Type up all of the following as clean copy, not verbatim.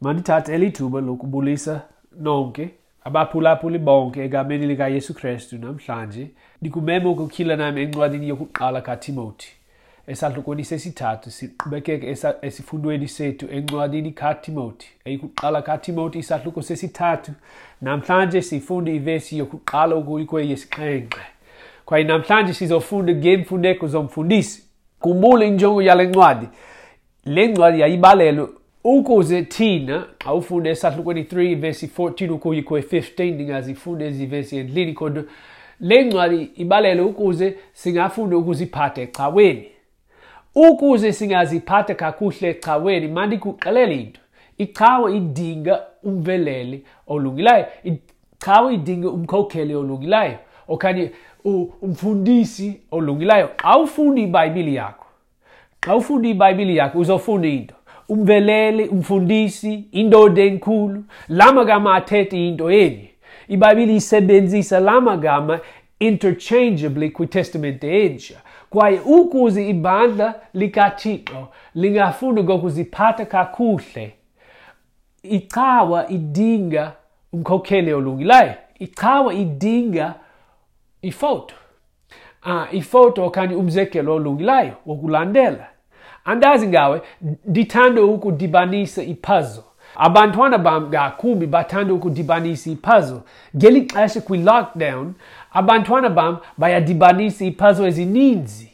Mandithathe eli thuba lokubulisa nonke abaphulaphuli bonke egameni likaYesu Krestu namhlanje. Ndikumema ukutyhila nami encwadini yokuqala kaTimoti, esahlukweni sesithathu. Siqhubekeke esifundweni sethu encwadini kaTimoti, eyokuqala kaTimoti, isahluko sesithathu. Namhlanje sifunda ivesi yokuqala ukuya kweyesixhenxe, kwaye namhlanje sizofunda ngeemfuneko zomfundisi. Khumbula injongo yale ncwadi. Le ncwadi yayibalelwe ukuze thina, xa ufunda esahlukweni 3 vesi 14 ukuya kwe-15, ndingazifunda ezi vesi endlini, kodwa le ncwadi ibalelwe ukuze singafunda ukuziphatha ecaweni. Ukuze singaziphatha kakuhle ecaweni, mandikuxelele into. Icawa idinga umveleli olungileyo. Icawa idinga umkhokheli olungileyo okanye umfundisi olungileyo. Xa ufunda iBhayibhile yakho, xa ufunda iBhayibhile yakho uzofunda into. Umveleli, umfundisi, indoda enkulu, la magama athetha into enye. IBhayibhile isebenzisa la magama interchangeably kwiTestamente Entsha. Kwaye ukuze ibandla likaThixo lingafunda ngokuziphatha kakuhle, icawa idinga umkhokheli olungileyo. Icawa idinga ifoto. Ifoto okanye umzekelo olungileyo wokulandela. Andazi ngawe, ndithanda ukudibanisa ipuzzle. Abantwana bam ngakumbi bathanda ukudibanisa ipuzzle. Ngeli xesha kwi-lockdown, abantwana bam bayadibanisa ipuzzle ezininzi.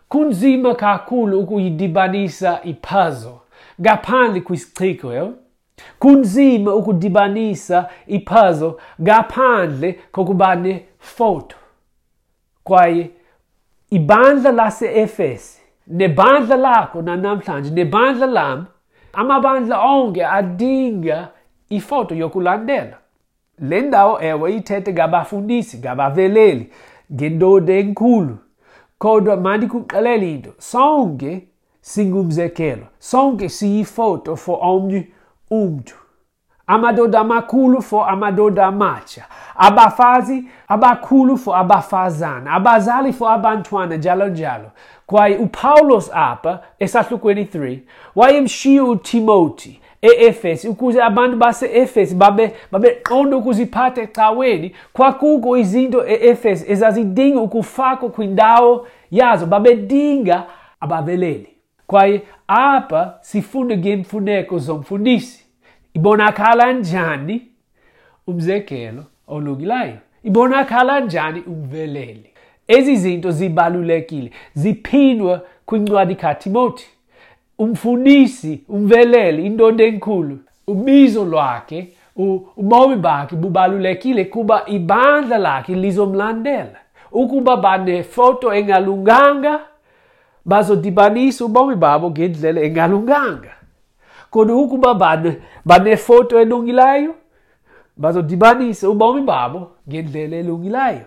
Kunzima kakhulu ukuyidibanisa ipuzzle ngaphandle kwisichiko, yho? Kunzima ukudibanisa ipuzzle ngaphandle kokuba nefoto. Kwaye ibandla lase-Efesi nebandla lakho namhlanje nebandla lam, amabandla onke adinga ifoto yokulandela. Le ndawo ewe ithethe ngabafundisi, ngabaveleli, ngendoda enkulu. Kodwa mandikuxelele into, sonke singumzekelo, sonke siyifoto for omnye umntu. Amadoda amakhulu for amadoda amatsha, abafazi abakhulu for abafazana, abazali for abantwana, njalo njalo. Kwaye uPawulos apha esahlukweni 3 wayemshiya uTimoti e-Efesi ukuze abantu base-Efesi babeqonda ukuziphatha ecaweni. Kwakukho izinto e-Efesi ezazidinga ukufakwa kwindawo yazo, babedinga abaveleli. Kwaye apha sifunda ngeemfuneko zomfundisi. Ibonakala njani umzekelo olungileyo? Ibonakala njani umveleli? Ezi zinto zibalulekile, ziphindwa kwincwadi kaTimoti. Umfundisi, umveleli, indoda enkulu, ubizo lwakhe, ubomi bakhe bubalulekile kuba ibandla lakhe lizomlandela. Ukuba banefoto engalunganga, bazodibanisa ubomi babo ngendlela engalunganga. Kodwa ukuba banefoto elungileyo, bazodibanisa ubomi babo ngendlela elungileyo.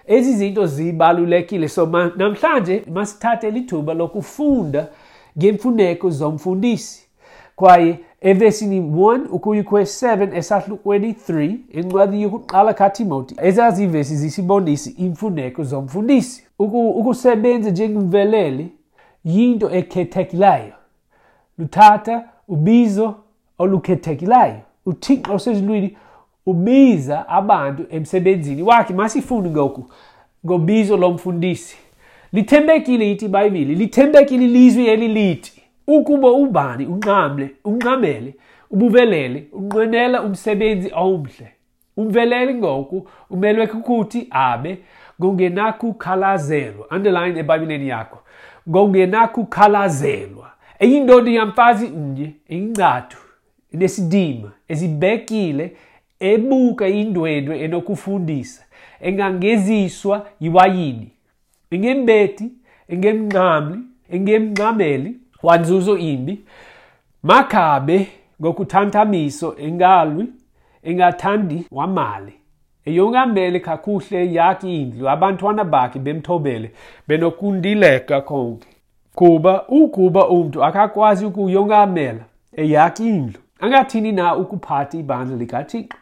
Ezi zinto zibalulekile. So namhlanje masithathe lithuba lokufunda ngeemfuneko zomfundisi. Kwaye evesini 1 ukuya kwe-7 esahlukweni 3 encwadini yokuqala kaTimoti, ezazi ivesi zisibonisa iimfuneko zomfundisi. Ukusebenza njengomveleli yinto ekhethekileyo. Luthatha ubizo olukhethekileyo. UThixo osezulwini ubiza abantu emsebenzini wakhe. Masifunde ngoku ngobizo lomfundisi. Lithembekile ithi iBhayibhile, lithembekile ilizwi elilithi ukuba ubani unqamele ubuvelele, unqwenela umsebenzi omhle. Umveleli ngoku umelwe kukuthi abe ngongenakukhalazelwa. Underline eBhayibhileni yakho, ngongenakukhalazelwa. Eyindoda yamfazi mnye, eyingcathu, enesidima, ezibekile, ebuka indwendwe enokufundisa, engangeziswa yiwayini, engembethi, engemnqamli, engemnqameli wanzuzo imbi, makabe ngokuthantamiso, engalwi, engathandi wamali, eyongamele kakuhle yakhe indlu, abantwana bakhe bemthobele, benokundileka konke. Kuba ukuba umntu akakwazi ukuyongamela eyakhe indlu, angathini na ukuphatha ibandla likaThixo?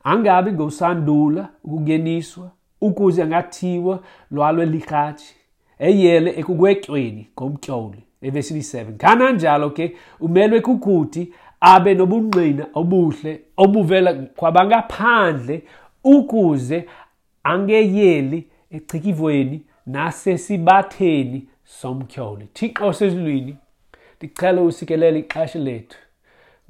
Angabi ngosandula ukungeniswa, ukuze angathiwa lwalwe likratshi, eyele ekugwetyweni ngomtyholi. Evesini 7. Kananjalo ke umelwe kukuthi Abe nobungqina obuhle obuvela kwabangaphandle ukuze angeyeli echikivweni nasesibatheni somtyholi. Thixo osezulwini, ndicela usikelele ixesha lethu.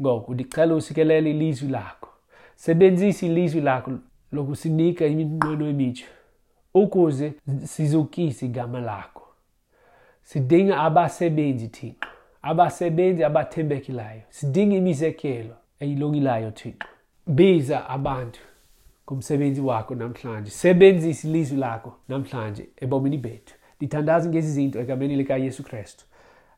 Ngoku ndicela usikelele ilizwi lakho. Sebenzisa ilizwi lakho lokusinika iminqweno emitsha ukuze sizukise igama lakho. Sidinga abasebenzi, Thixo, abasebenzi abathembekileyo. Sidinga imizekelo eyilungileyo, Thixo. Biza abantu kumsebenzi wakho namhlanje. Sebenzisa ilizwi lakho namhlanje ebomini bethu. Ndithandaza ngezi zinto egameni likaYesu Kristu.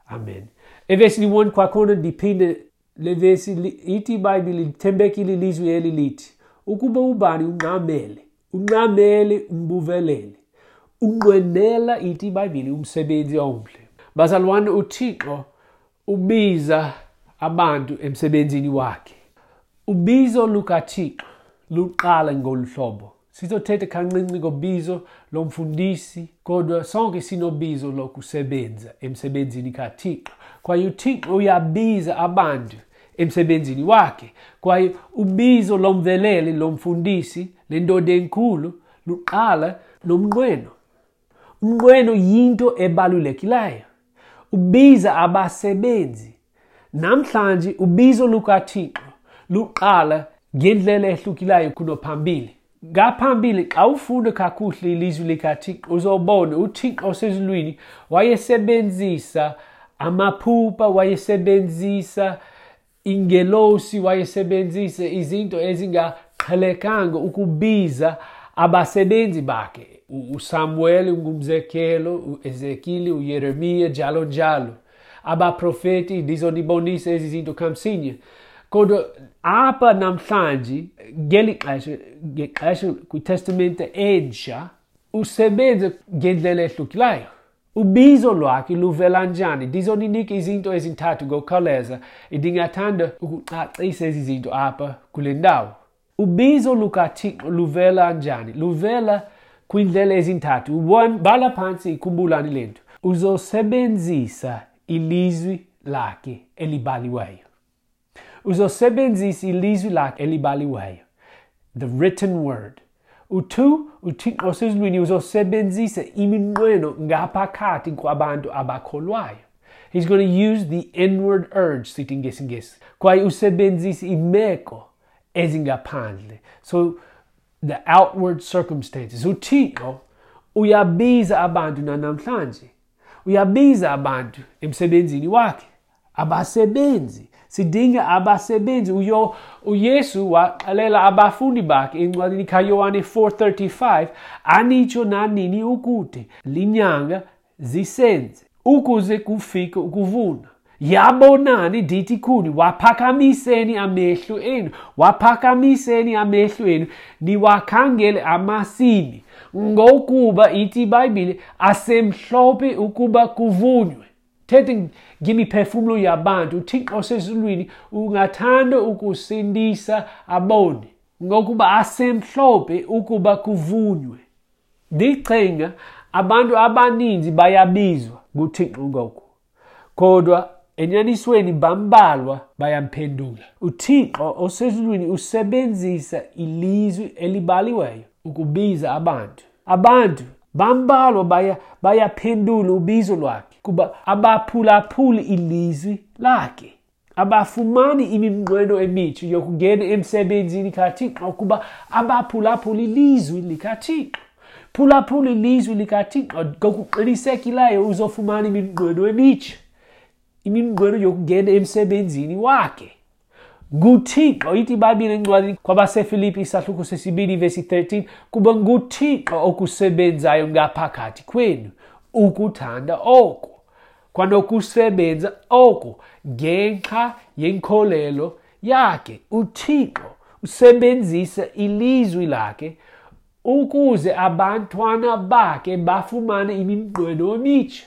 Amen. Evesini 1 kwakhona ndiphinde le vesi ithi iBhayibhile lithembekile ilizwi eli lithi ukuba ubani ungxamele umbuveleli, unqwenela, ithi iBhayibhile, umsebenzi omhle. Bazalwane, uThixo ubiza abantu emsebenzini wakhe. Ubizo lukaThixo luqala ngolu hlobo. Sizothetha kancinci ngobizo lomfundisi, kodwa sonke sinobizo lokusebenza emsebenzini kaThixo. Kwaye uThixo uyabiza abantu emsebenzini wakhe. Kwaye ubizo lomveleli, lomfundisi, lendoda enkulu, luqala nomnqweno. Umnqweno yinto ebalulekileyo. Ubiza abasebenzi. Namhlanje ubizo lukaThixo luqala ngendlela ehlukileyo kunophambili. Ngaphambili, xa ufunda kakuhle ilizwi likaThixo, uzobona uThixo osezulwini wayesebenzisa amaphupha, wayesebenzisa ingelosi, wayesebenzisa izinto ezingaqhelekanga ukubiza abasebenzi bakhe. uSamuel ungumzekelo, uEzekile, uYeremiya, njalo njalo. Abaprofeti, ndizonibonisa ezi zinto kamsinya. Kodwa apha namhlanje, ngeli xesha, ngexesha kwiTestamente Entsha, usebenza ngendlela ehlukileyo. Ubizo lwakhe luvela njani? Ndizoninika izinto ezintathu ngokukhawuleza. Ndingathanda ukucacisa ezi zinto apha kule ndawo. Ubizo lukaThixo luvela njani? Luvela kwindlela ezintathu. 1, bhala phantsi, ikhumbulani le nto. Uzosebenzisa ilizwi lakhe elibhaliweyo. Uzosebenzisa ilizwi lakhe elibhaliweyo. The written word. U2, uThixo osezulwini uzosebenzisa iminqweno ngaphakathi kwabantu abakholwayo. He's going to use the inward urge, sithi ngesiNgesi. Kwaye usebenzisa imeko ezingaphandle. So, the outward circumstances. uThixo uyabiza abantu namhlanje. Uyabiza abantu emsebenzini wakhe. Abasebenzi. Sidinga abasebenzi. uYesu waxelela abafundi bakhe encwadini kaYohane 4:35, anitsho nanini ukuthi linyanga zisenze ukuze kufike ukuvuna. Yabonani ndithi kuni, waphakamiseni amehlo enu, waphakamiseni amehlo enu, niwakhangele amasimi, ngokuba ithi iBhayibhile asemhlophe ukuba kuvunywe. Thethe ngemiphefumlo yabantu. uThixo osezulwini ungathanda ukusindisa aboni, ngokuba asemhlophe ukuba kuvunywe. Ndicinga abantu abaninzi bayabizwa nguThixo ngoku, kodwa enyanisweni bambalwa bayamphendula. uThixo osezulwini usebenzisa ilizwi elibhaliweyo ukubiza abantu. Abantu bambalwa bayaphendula ubizo lwakhe, kuba abaphulaphuli ilizwi lakhe. Abafumani iminqweno emitsha yokungena emsebenzini kaThixo, kuba abaphulaphuli ilizwi likaThixo. Phulaphula ilizwi likaThixo, ngokuqinisekileyo uzofumana iminqweno emitsha, iminqweno yokungena emsebenzini wakhe. NguThixo, ithi iBhayibhile encwadini kwabaseFilipi isahluko sesibini vesi 13, kuba nguThixo okusebenzayo ngaphakathi kwenu ukuthanda oko kwanokusebenza oko ngenxa yenkolelo yakhe. uThixo usebenzisa ilizwi lakhe ukuze abantwana bakhe bafumane iminqweno emitsha.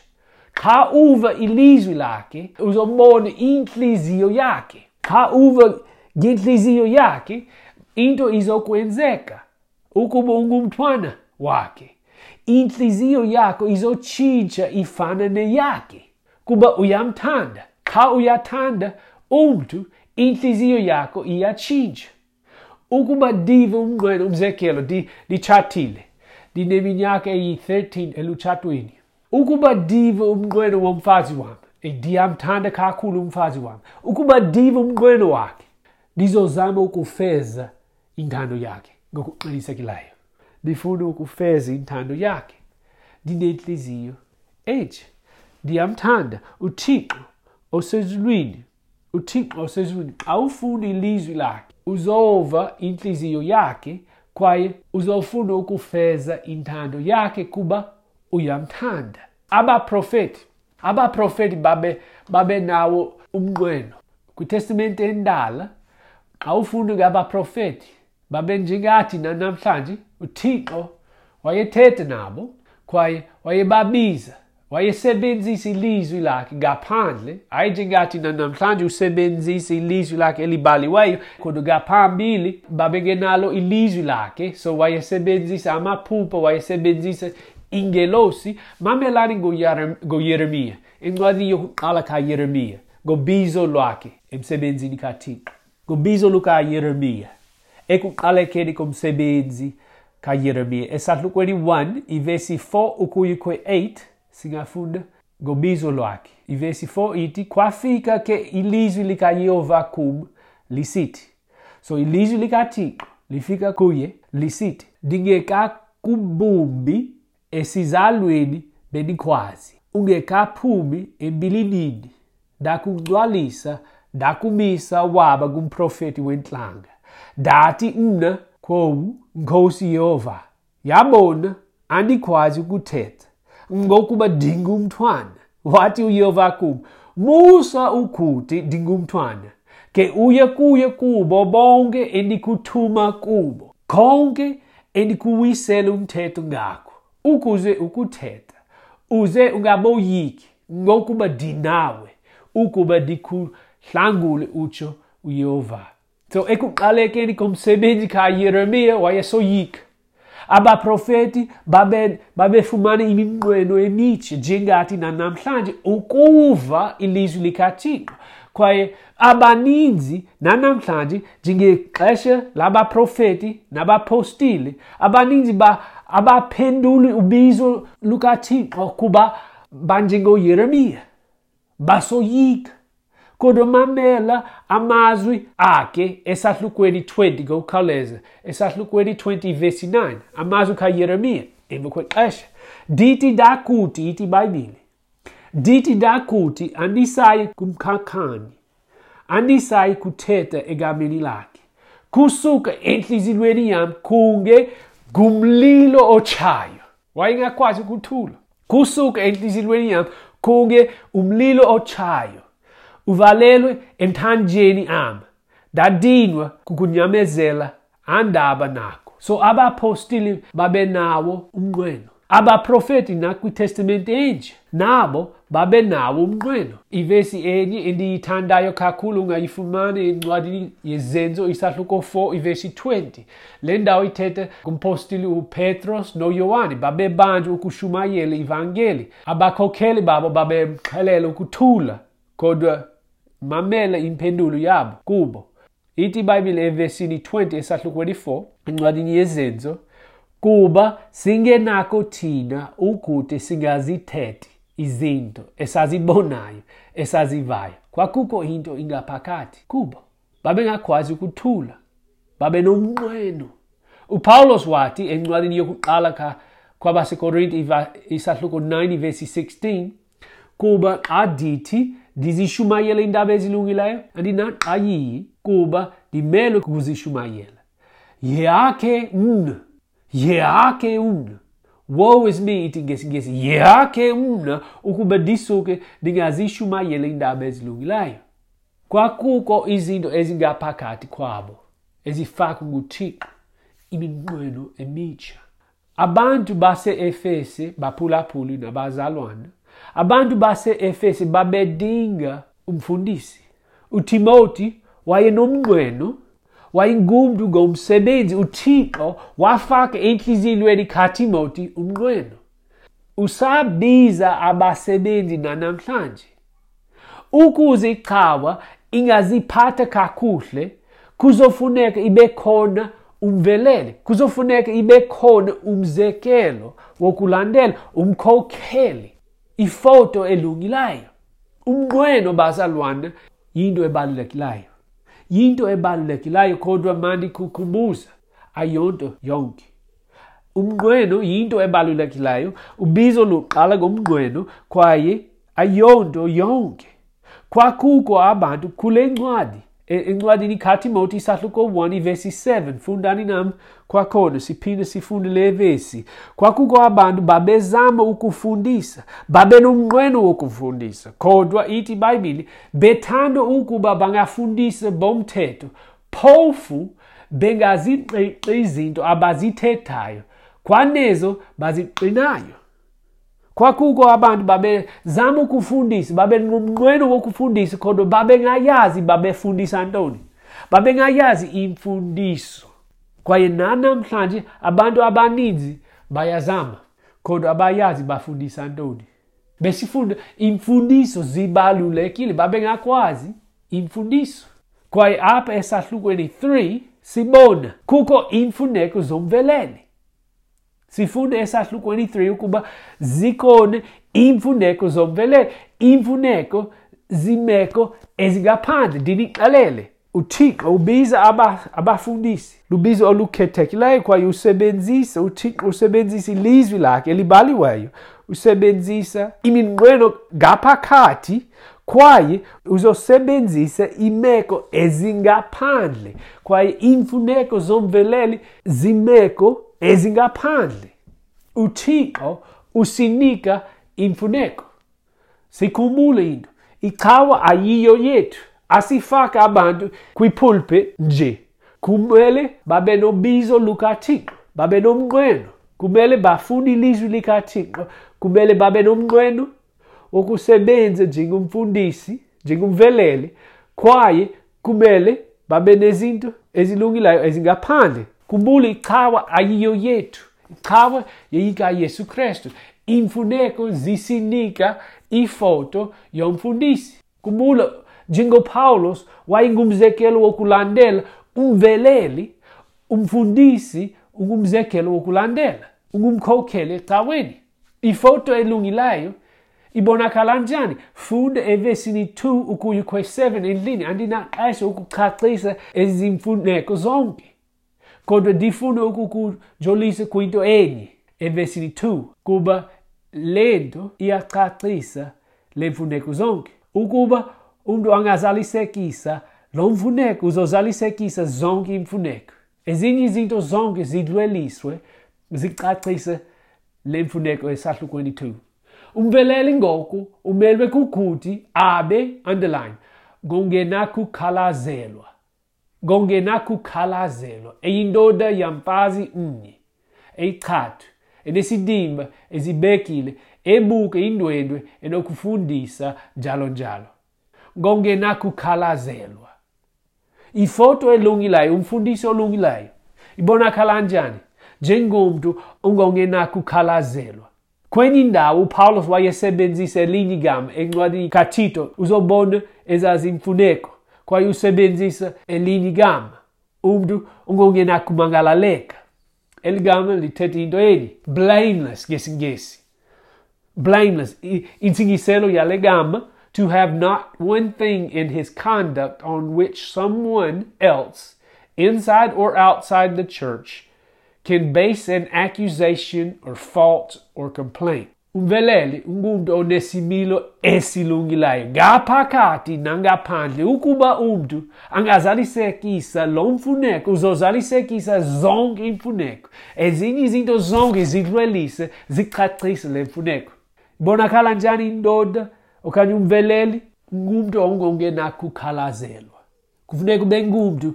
Xa uva ilizwi lakhe, uzobona intliziyo yakhe. Xa uva ngentliziyo yakhe, into izokwenzeka ukuba ungumntwana wakhe. Intliziyo yakho izotshintsha ifana neyakhe, kuba uyamthanda. Xa uyathanda umntu, Intliziyo yakho iyatshintsha. Ukuba ndive umnqweno, umzekelo, nditshatile, ndineminyaka eyi-13 elutshatweni. Ukuba ndive umnqweno womfazi wam, ndiyamthanda kakhulu umfazi wam. Ukuba ndive umnqweno wakhe, ndizozama ukufeza intando yakhe ngokuqinisekileyo. Ndifuna ukufeza intando yakhe. Ndinentliziyo entsha. Ndiyamthanda uThixo osezulwini. UThixo osezulwini, xa ufunda ilizwi lakhe, uzova intliziyo yakhe kwaye uzofuna ukufeza intando yakhe kuba uyamthanda. Abaprofeti babe nawo umnqweno. KwiTestamente Endala, xa ufunda ngabaprofeti, babe njengathi namhlanje, uThixo wayethetha nabo kwaye wayebabiza. Wayesebenzisa ilizwi lakhe ngaphandle, hayi njengathi namhlanje usebenzisa ilizwi lakhe elibhaliweyo, kodwa ngaphambili babengenalo ilizwi lakhe, so wayesebenzisa amaphupha, wayesebenzisa ingelosi. Mamelani ngoYeremiya, incwadi yokuqala kaYeremiya, ngobizo lwakhe emsebenzini kaThixo, ngobizo lukaYeremiya, ekuqalekeni komsebenzi kaYeremiya. Esahlukweni 1, ivesi 4 ukuya kwe-8, singafunda ngobizo lwakhe. Ivesi 4 ithi, kwafika ke ilizwi likaYehova kum lisithi. So ilizwi likaThixo lifika kuye lisithi, ndingekakubumbi esizalweni bendikwazi, ungekaphumi embilinini, ndakungcwalisa, ndakumisa waba ngumprofeti wentlanga. Ndathi mna kwowu, Nkosi Yehova, yabona andikwazi ukuthetha, ngokuba ndingumntwana. Wathi uYehova kum, musa ukuthi ndingumntwana, ke uye kuye kubo bonke endikuthuma kubo, konke endikuwisela umthetho ngako, ukuze ukuthetha, uze ungaboyiki, ngokuba ndinawe, ukuba ndikuhlangule, utsho uYehova. So ekuqalekeni komsebenzi kaYeremiya wayesoyika. Abaprofeti babefumana iminqweno emitsha njengathi nanamhlanje ukuva ilizwi likaThixo. Kwaye abaninzi nanamhlanje njengexesha labaprofeti nabapostile, abaninzi abaphenduli ubizo lukaThixo kuba banjengoYeremiya, basoyika. Kodwa mamela amazwi akhe esahlukweni 20 ngokukhawuleza, esahlukweni 20 verse 9, amazwi kaYeremiya emva kwexesha. Ndithi ndakuthi, ithi iBhayibhile, ndithi ndakuthi andisayi kumkhankani, andisayi kuthetha egameni lakhe. Kusuka entliziyweni yam kunge ngumlilo otshayo. Wayengakwazi ukuthula. Kusuka entliziyweni yam kunge umlilo otshayo, uvalelwe emthanjeni am, ndadinwa kukunyamezela andaba nako. So abapostile babenawo umnqweno. Abaprofeti nakwiTestamente Entsha nabo babenawo umnqweno. Ivesi enye endiyithandayo kakhulu ungayifumana encwadini yeZenzo isahluko 4 ivesi 20. Le ndawo ithetha ngumpostile uPetros noYohane, babebanjwa ukushumayela ivangeli. Abakhokheli babo babemxelela ukuthula, kodwa mamela impendulo yabo kubo. Ithi iBhayibhile evesini 20 esahlukweni 4 encwadini yeZenzo, kuba singenako thina ukuthi singazithethi izinto esazibonayo, esazivayo. Kwakukho into ingaphakathi kubo. Babengakwazi ukuthula, babenomnqweno. uPawulos wathi encwadini yokuqala kwabaseKorinte isahluko 9 verse 16, kuba xa ndithi ndizishumayela iindaba ezilungileyo, andinaqayiyi kuba ndimelwe kuzishumayela. Yehake mna, yehake mna. Woe is me, ithi ngesiNgesi, yehake mna ukuba ndisuke ndingazishumayela iindaba ezilungileyo. Kwakukho izinto ezingaphakathi kwabo ezifakwa nguThixo, iminqweno emitsha. Abantu base-Efese baphulaphuli nabazalwana. Abantu base-Efese babedinga umfundisi. uTimoti wayenomnqweno, wayengumntu ngomsebenzi. uThixo wafaka entliziyweni kaTimoti umnqweno. Usabiza abasebenzi nanamhlanje ukuze icawa ingaziphatha kakuhle, kuzofuneka ibe khona umveleli, kuzofuneka ibe khona umzekelo wokulandela, umkhokheli, ifoto elungileyo. Umnqweno, bazalwana, yinto ebalulekileyo. Yinto ebalulekileyo, kodwa mandikukhumbuza, ayonto yonke. Umnqweno yinto ebalulekileyo, ubizo luqala ngomnqweno kwaye ayonto yonke. Kwakukho abantu kule ncwadi, encwadini kaTimoti isahluko 1 ivesi 7, fundani nam kwakhona siphinde sifunde le vesi. Kwakukho abantu babezama ukufundisa, babenomnqweno wokufundisa, kodwa ithi iBhayibhile bethanda ukuba bangafundisa bomthetho, phofu bengaziqiqi izinto abazithethayo, kwanezo baziqinayo. Kwakukho abantu babezama ukufundisa, babenomnqweno wokufundisa, kodwa babengayazi babefundisa ntoni. Babengayazi imfundiso. Kwaye nanamhlanje abantu abaninzi bayazama, kodwa abayazi bafundisa ntoni. Besifunda imfundiso zibalulekile, babengakwazi imfundiso. Kwaye apha esahlukweni 3 sibona kukho imfuneko zomveleli. Sifunda esahlukweni 3 ukuba zikhona iimfuneko zomveleli, iimfuneko zimeko ezingaphandle. Ndinixelele, uThixo ubiza abafundisi, lubizo olukhethekileyo, kwaye uThixo usebenzisa ilizwi lakhe elibhaliweyo, usebenzisa iminqweno ngaphakathi, kwaye uzosebenzisa imeko ezingaphandle, kwaye iimfuneko zomveleli zimeko ezingaphandle. uThixo usinika imfuneko. Sikhumbule into, icawa ayiyo yethu. Asifake abantu kwipulpit nje. Kumele babe nobizo lukaThixo, babe nomnqweno. Kumele bafunde ilizwi likaThixo, kumele babe nomnqweno wokusebenza njengomfundisi, njengomveleli, kwaye kumele babe nezinto ezilungileyo ezingaphandle. Khumbula, icawa ayiyo yethu. Icawa yeyikaYesu Kristu. Iimfuneko zisinika ifoto yomfundisi. Khumbula, njengoPawulos wayengumzekelo wokulandela, umveleli, umfundisi ungumzekelo wokulandela, ungumkhokheli ecaweni. Ifoto elungileyo ibonakala njani? Funda evesini 2 ukuya kwe-7 endlini. Andinaxesha ukucacisa ezi mfuneko zonke, kodwa ndifuna ukukujolisa kwinto enye evesini 2, kuba le nto iyacacisa le mfuneko zonke. Ukuba umntu angazalisekisa lo mfuneko, uzozalisekisa zonke iimfuneko. Ezinye izinto zonke zidlweliswe, zicacise le mfuneko esahlukweni 2. Umveleli ngoku umelwe kukuthi abe, underline, ngongenakukhalazelwa. Ngongenakukhalazelwa, eyindoda yamfazi mnye, eyichathu, enesidima, ezibekile, ebuka indwendwe, enokufundisa njalo njalo. Ngongenakukhalazelwa. Ifoto elungileyo, umfundisi olungileyo, ibonakala njani? Njengomntu ongongenakukhalazelwa. Kwenye indawo uPawulos wayesebenzisa elinye igama encwadini kaTito, uzobona ezazimfuneko, kwaye usebenzisa elinye igama, umntu ongongenakumangalaleka. Eli gama lithetha into enye, blameless ngesiNgesi. Blameless, intsingiselo yale gama, to have not one thing in his conduct on which someone else, inside or outside the church, can base an accusation or fault or complaint. Umveleli ungumntu onesimilo esilungileyo ngaphakathi nangaphandle. Ukuba umntu angazalisekisa lo mfuneko, uzozalisekisa zonke iimfuneko. Ezinye izinto zonke zidlwelise, zicacise le mfuneko. Ibonakala njani indoda okanye umveleli? Ngumntu ongongenakukhalazelwa. Kufuneka ube ngumntu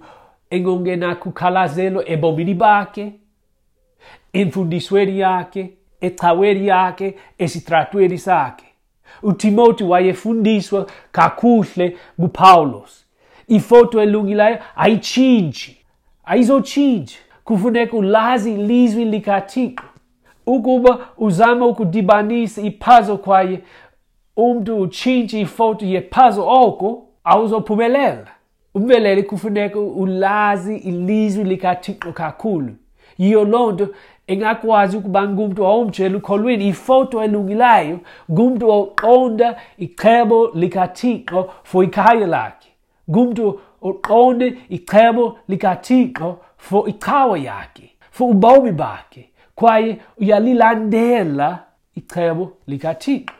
engongenakukhalazelwa ebomini bakhe, emfundisweni yakhe, ecaweni yakhe, esitratweni sakhe. uTimoti wayefundiswa kakuhle nguPawulos. Ifoto elungileyo ayitshintshi, ayizotshintshi. Kufuneka ulazi ilizwi likaThixo. Ukuba uzama ukudibanisa ipuzzle kwaye umntu utshintshe ifoto yepuzzle, oko Awuzophumelela. Umveleli kufuneka ulazi ilizwi likaThixo kakhulu. Yiyo loo nto engakwazi ukuba ngumntu omtsha elukholweni. Ifoto elungileyo ngumntu oqonda icebo likaThixo for ikhaya lakhe, ngumntu oqonde icebo likaThixo for icawa yakhe, for ubomi bakhe, kwaye uyalilandela icebo likaThixo.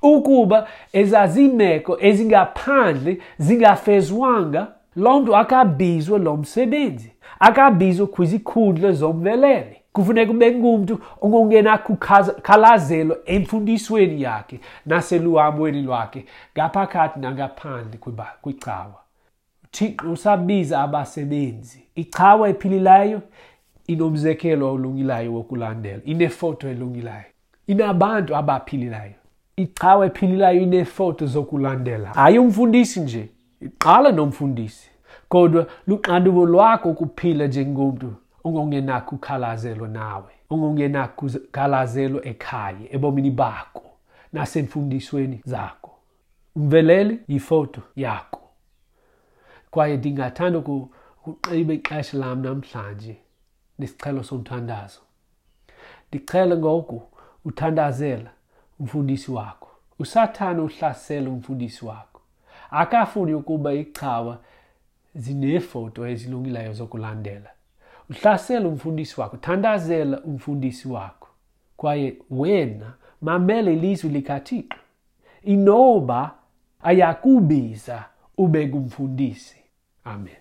Ukuba ezazimeko ezingaphandle zingafezwanga, loo mntu akabizwe lo msebenzi, akabizwe kwizikhundla zomveleli. Kufuneka ube ngumntu ongenakukhalazelo emfundisweni yakhe naseluhambweni lwakhe ngaphakathi nangaphandle kwicawa. UThixo usabiza abasebenzi. Icawa ephilileyo inomzekelo olungileyo wokulandela, inefoto elungileyo, inabantu abaphilileyo. Icawa ephilileyo ineefoto zokulandela. Hayi umfundisi nje, iqala nomfundisi, kodwa luxanduva lwakho ukuphila njengomntu ongongenakukhalazelwa nawe, ongongenakukhalazelwa ekhaya, ebomini bakho nasemfundisweni zakho. Umveleli yifoto yakho. Kwaye ndingathanda ukuqiba ixesha lam namhlanje nesicelo somthandazo. Ndicela ngoku uthandazela umfundisi wakho. USathana uhlasela umfundisi wakho. Akafuni ukuba icawa zineefoto ezilungileyo zokulandela. Uhlasela umfundisi wakho, thandazela umfundisi wakho. Kwaye wena mamela ilizwi likaThixo. Inoba ayakubiza ube ngumfundisi. Amen.